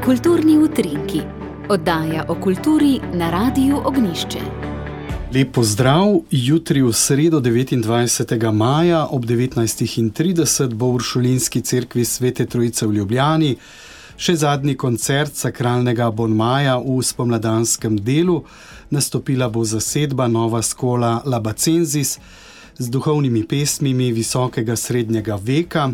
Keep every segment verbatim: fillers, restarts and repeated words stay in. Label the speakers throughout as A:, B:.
A: Kulturni utrinki, oddaja o kulturi na Radiu Ognjišče.
B: Lep pozdrav, jutri v sredo devetindvajsetega maja ob devetnajstih trideset bo v Uršulinski cerkvi Svete Trojice v Ljubljani še zadnji koncert sakralnega abonmaja v spomladanskem delu. Nastopila bo zasedba Nova Schola Labacensis z duhovnimi pesmimi visokega srednjega veka.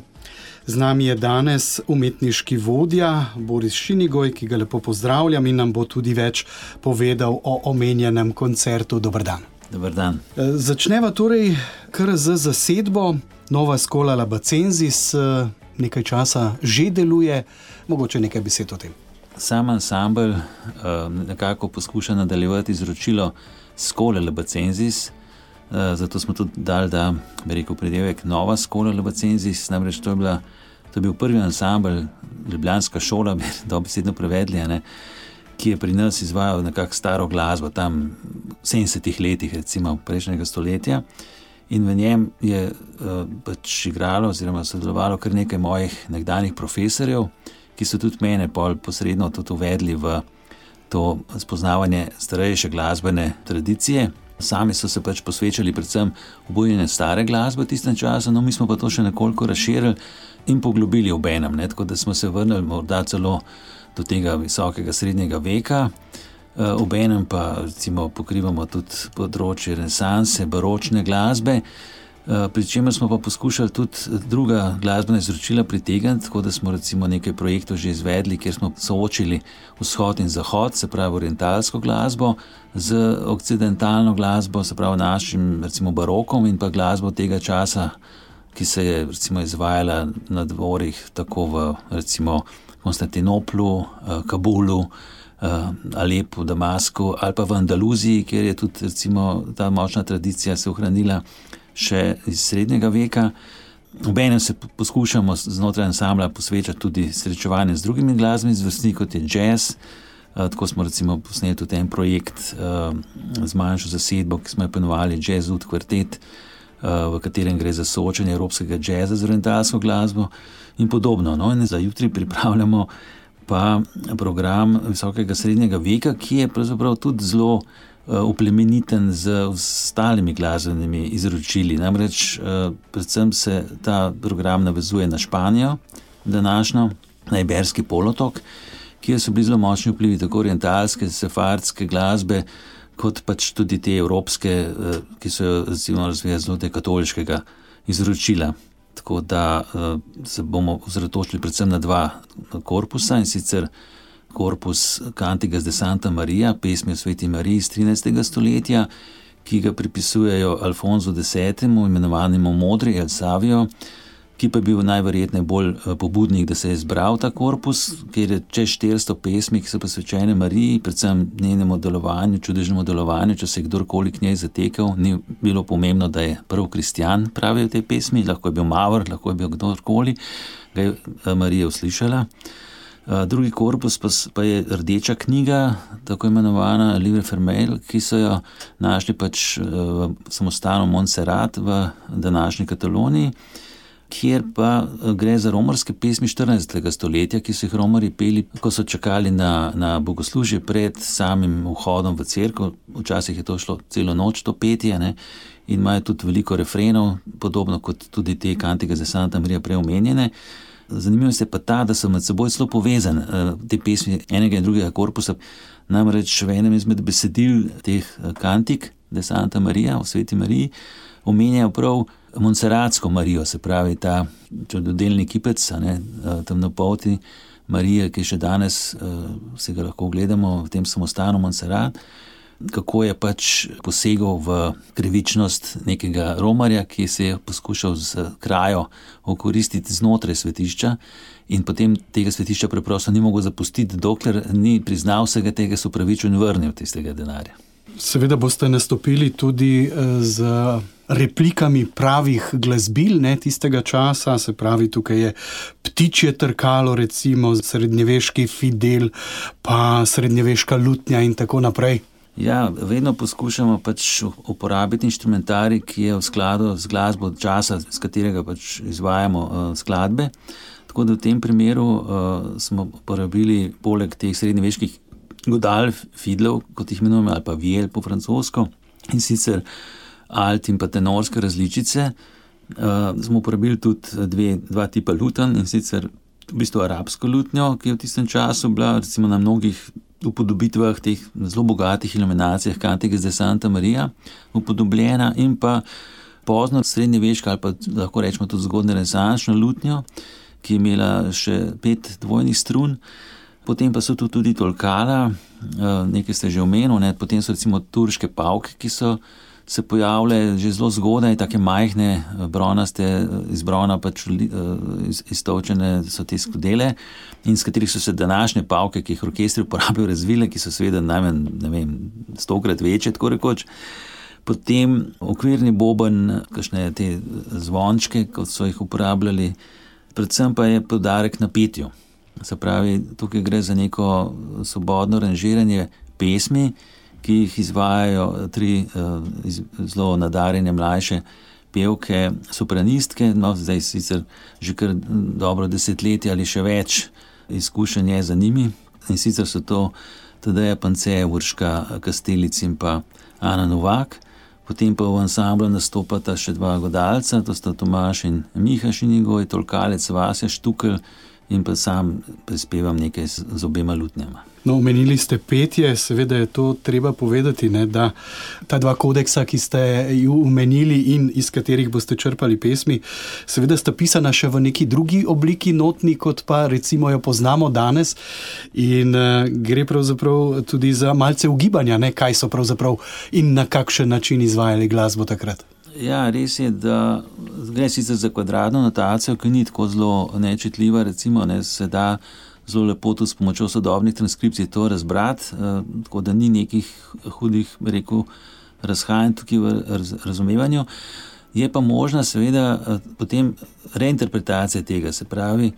B: Z nami je danes umetniški vodja Boris Šinigoj, ki ga lepo pozdravljam in nam bo tudi več povedal o omenjenem koncertu. Dober dan.
C: Dober dan.
B: Začneva torej kar z zasedbo. Nova Schola Labacensis nekaj časa že deluje. Mogoče nekaj besed o tem.
C: Sam ansambel nekako poskuša nadaljevati izročilo Schole Labacensis. Zato smo tudi dali, da bi rekel pridevek Nova Schola Labacensis, namreč to je, bila, to je bil prvi ansambel, ljubljanska šola, bi dobesedno prevedli, ne, ki je pri nas izvajal nekako staro glasbo, tam v sedemdesetih letih, recimo prejšnjega stoletja, in v njem je uh, pač igralo oziroma sodelovalo kar nekaj mojih nekdanjih profesorjev, ki so tudi mene pol posredno tudi uvedli v to spoznavanje starejše glasbene tradicije. Sami so se pač posvečali predvsem obojenju stare glasbe v tistem času, no mi smo pa to še nekoliko razširili in poglobili obenem, ne, tako da smo se vrnili morda celo do tega visokega srednjega veka, e, obenem pa recimo pokrivamo tudi področje renesanse, baročne glasbe, e, pri čemer smo pa poskušali tudi druga glasbena izročila pritegniti, tako da smo recimo nekaj projektov že izvedli, kjer smo soočili vzhod in zahod, se pravi orientalsko glasbo, z okcidentalno glasbo, se pravi našim recimo barokom in pa glasbo tega časa, ki se je recimo izvajala na dvorih tako v recimo Konstantinoplu, Kabulu, Alepu, Damasku ali pa v Andaluziji, kjer je tudi recimo ta močna tradicija se ohranila še iz srednjega veka. Obenem se poskušamo znotraj ansambla posvečati tudi srečevanju z drugimi glasbenimi zvrstmi, kot je jazz. Tako smo recimo posneli tudi en projekt z manjšo zasedbo, ki smo jo poimenovali Jazz Ud Kvartet, v katerem gre za soočenje evropskega jazza z orientalsko glasbo in podobno. No, in za jutri pripravljamo pa program visokega srednjega veka, ki je pravzaprav tudi zelo uplemeniten z ostalimi glasbenimi izročili. Namreč predvsem se ta program navezuje na Španijo, današnjo, na Iberski polotok, kjer so bili zelo močni vplivi tako orientalske, sefardske glasbe, kot pač tudi te evropske, ki so jo recimo razvijali zelo te katoliškega izročila. Tako da se bomo osredotočili predvsem na dva korpusa, in sicer korpus Cantigas de Santa Maria, pesmi o Sveti Mariji iz trinajstega stoletja, ki ga pripisujejo Alfonso desetemu, imenovanemu Modri El Savio, ki pa je bil najverjetneje bolj pobudnik, da se je zbral ta korpus, kjer je čez štiristo pesmi, ki so posvečene Mariji, predvsem njenemu delovanju, čudežnemu delovanju. Če se je kdorkoli k njej zatekel, ni bilo pomembno, da je prv kristjan, pravijo te pesmi, lahko je bil Mavr, lahko je bil kdorkoli, ga je Marija uslišala. Drugi korpus pa, pa je rdeča knjiga, tako imenovana Livre Fermel, ki so jo našli pač v samostanu Montserrat v današnji Kataloniji, kjer pa gre za romarske pesmi štirinajstega stoletja, ki so jih romari peli, ko so čakali na, na bogoslužje pred samim vhodom v cerkev. Včasih je to šlo celo noč, to petje, ne? In imajo tudi veliko refrenov, podobno kot tudi te Cantigas de Santa Maria prej omenjene. Zanimivo je pa ta, da so med seboj zelo povezane te pesmi enega in drugega korpusa. Namreč v enem izmed besedil teh Cantic de Santa Maria, o Sveti Mariji, omenjajo prav Montserratsko Marijo, se pravi ta čudodelni kipec, ne, temnopolti Marije, ki še danes se ga lahko gledamo v tem samostanu Montserrat, kako je pač posegal v krivičnost nekega romarja, ki se je poskušal z krajo okoristiti znotraj svetišča in potem tega svetišča preprosto ni mogel zapustiti, dokler ni priznal vsega tega, se opravičil in vrnil tistega denarja.
B: Seveda boste nastopili tudi z replikami pravih glasbil, ne, tistega časa, se pravi, tukaj je Ptičje trkalo, recimo srednjeveški fidel, pa srednjeveška lutnja in tako naprej.
C: Ja, vedno poskušamo pač uporabiti inštrumentarij, ki je v skladu z glasbo časa, s katerega pač izvajamo uh, skladbe. Tako da v tem primeru uh, smo uporabili poleg teh srednjeveških godal, fidlov, kot jih imenujemo, ali pa viel po francosko, in sicer alt in pa tenorske različice, uh, smo uporabili tudi dve, dva tipa lutenj, in sicer v bistvu arabsko lutnjo, ki je v tistem času bila recimo na mnogih upodobitvah teh zelo bogatih iluminacijah Cantigas de Santa Maria upodobljena, in pa pozno srednjeveška ali pa lahko rečemo tudi zgodnje renesančno lutnjo, ki je imela še pet dvojnih strun. Potem pa so tu tudi tolkala, nekaj ste že omenil, ne? Potem so recimo turške pavke, ki so se pojavile že zelo zgodaj, take majhne, bronaste, iz brona pač iztovčene so te skodele, in s katerih so se današnje pavke, ki jih orkestri uporabljajo, razvile, ki so seveda najmanj, ne vem, stokrat večje, tako rekoč. Potem okvirni boben, kakšne te zvončke, kot so jih uporabljali, predvsem pa je poudarek na petju. Se pravi, tukaj gre za neko svobodno aranžiranje pesmi, ki jih izvajajo tri uh, iz, zelo nadarjene mlajše pevke, sopranistke, no zdaj sicer že kar dobro desetletje ali še več izkušenj je za njimi, in sicer so to Tadeja Pance, Urška Kastelic in pa Ana Novak. Potem pa v ansamblu nastopata še dva godalca, to sta Tomaž in Miha Šinigoj, tolkalec Vasja Štukelj, in pa sam prispevam nekaj z, z obema lutnjama.
B: No, omenili ste petje, seveda je to treba povedati, ne, da ta dva kodeksa, ki ste ju omenili in iz katerih boste črpali pesmi, seveda sta pisana še v neki drugi obliki notni, kot pa recimo jo poznamo danes, in uh, gre pravzaprav tudi za malce ugibanja, ne, kaj so pravzaprav in na kakšen način izvajali glasbo takrat.
C: Ja, res je, da gre sicer za kvadratno notacijo, ki ni tako zelo nečitljiva, recimo, ne, se da zelo lepo tudi s pomočjo sodobnih transkripcij to razbrati, eh, tako da ni nekih hudih, rekel, razhajanj tukaj v raz, razumevanju. Je pa možna seveda eh, potem reinterpretacija tega, se pravi,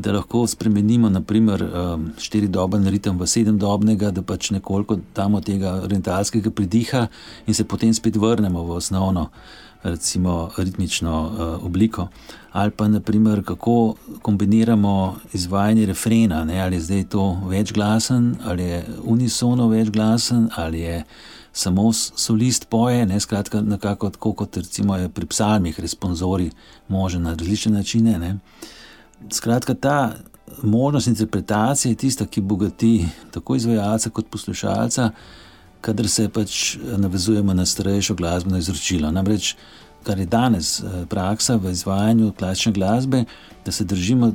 C: da lahko spremenimo naprimer um, štiridoben ritem v sedemdobnega, da pač nekoliko damo tega orientalskega pridiha in se potem spet vrnemo v osnovno, recimo ritmično uh, obliko. Ali pa naprimer, kako kombiniramo izvajanje refrena, ne? Ali je zdaj to večglasen, ali je unisono večglasen, ali je samo solist poje, ne? Skratka nekako tako, kot recimo je pri psalmih responsori možen na različne načine, ne? Skratka, ta možnost interpretacije je tista, ki bogati tako izvajalca kot poslušalca, kadar se pač navezujemo na starejšo glasbeno izročilo. Namreč, kar je danes praksa v izvajanju klasične glasbe, da se držimo,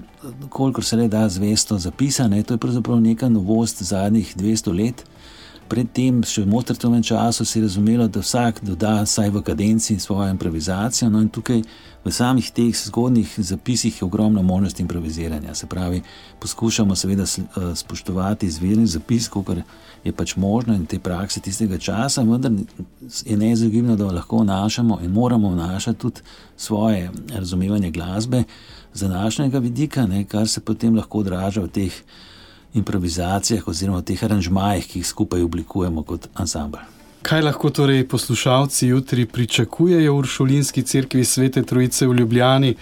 C: kolikor se le da zvesto zapisane, to je pravzaprav neka novost zadnjih dvesto let. Predtem, še v Mozartovem času, se je razumelo, da vsak doda saj v kadenci svojo improvizacijo, no in tukaj v samih teh zgodnih zapisih je ogromno možnosti improviziranja. Se pravi, poskušamo seveda spoštovati izvirni zapis, kolikor je pač možno in te prakse tistega časa, vendar je neizogibno, da lahko vnašamo in moramo vnašati tudi svoje razumevanje glasbe z današnjega vidika, ne, kar se potem lahko odraža v teh improvizacijah oziroma v teh aranžmajih, ki jih skupaj oblikujemo kot ansambl.
B: Kaj lahko torej poslušalci jutri pričakujejo v Uršulinski cerkvi Svete Trojice v Ljubljani?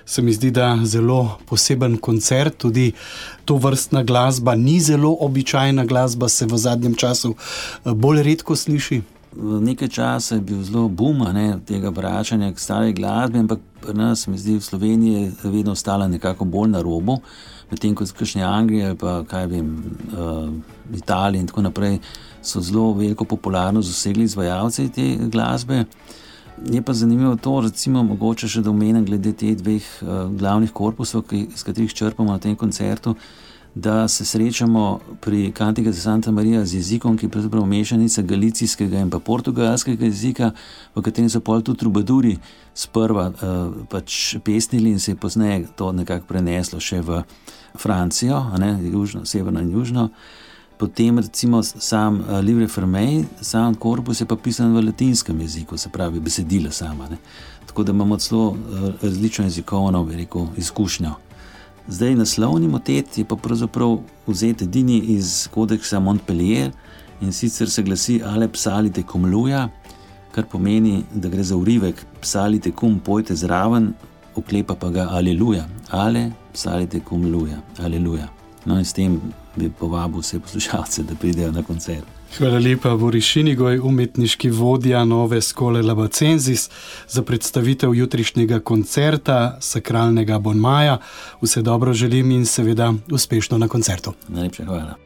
B: Se mi zdi, da zelo poseben koncert, tudi to vrstna glasba ni zelo običajna glasba, se v zadnjem času bolj redko sliši.
C: V nekaj časa je bil zelo boom, ne, tega vračanja k stari glasbi, ampak pri nas, mi zdi, v Sloveniji je vedno ostala nekako bolj na robu, medtem kot kakšne Anglije ali pa kaj vem, uh, Italiji in tako naprej so zelo veliko popularnost dosegli izvajalci te glasbe. Je pa zanimivo to, recimo mogoče še da omenim glede teh dveh uh, glavnih korpusov, ki, z katerih črpamo na tem koncertu, da se srečamo pri Cantigas de Santa Maria z jezikom, ki je pravzaprav mešanica galicijskega in pa portugalskega jezika, v katerem so pol tudi trubaduri sprva uh, pač pesnili in se je pozneje to nekako preneslo še v Francijo, a ne, južno, severno in južno. Potem recimo sam uh, Livre Fermei, sam korpus je pa pisan v latinskem jeziku, se pravi besedila sama, ne. Tako da imamo celo uh, različno jezikovno, bi rekel, izkušnjo. Zdaj naslovni motet je pa pravzaprav vzet edini iz kodeksa Montpellier in sicer se glasi Ale psalite cum luja, kar pomeni, da gre za urivek psalite cum, pojte zraven, oklepa pa ga Aleluja. Ale Salite cum luja, aleluja. No in s tem bi povabil vse poslušalce, da pridejo na koncert.
B: Hvala lepa, Boris Šinigoj, umetniški vodja Nove Skole Labacenzis, za predstavitev jutrišnjega koncerta sakralnega Bon Maja. Vse dobro želim in seveda uspešno na koncertu.
C: Najlepša hvala.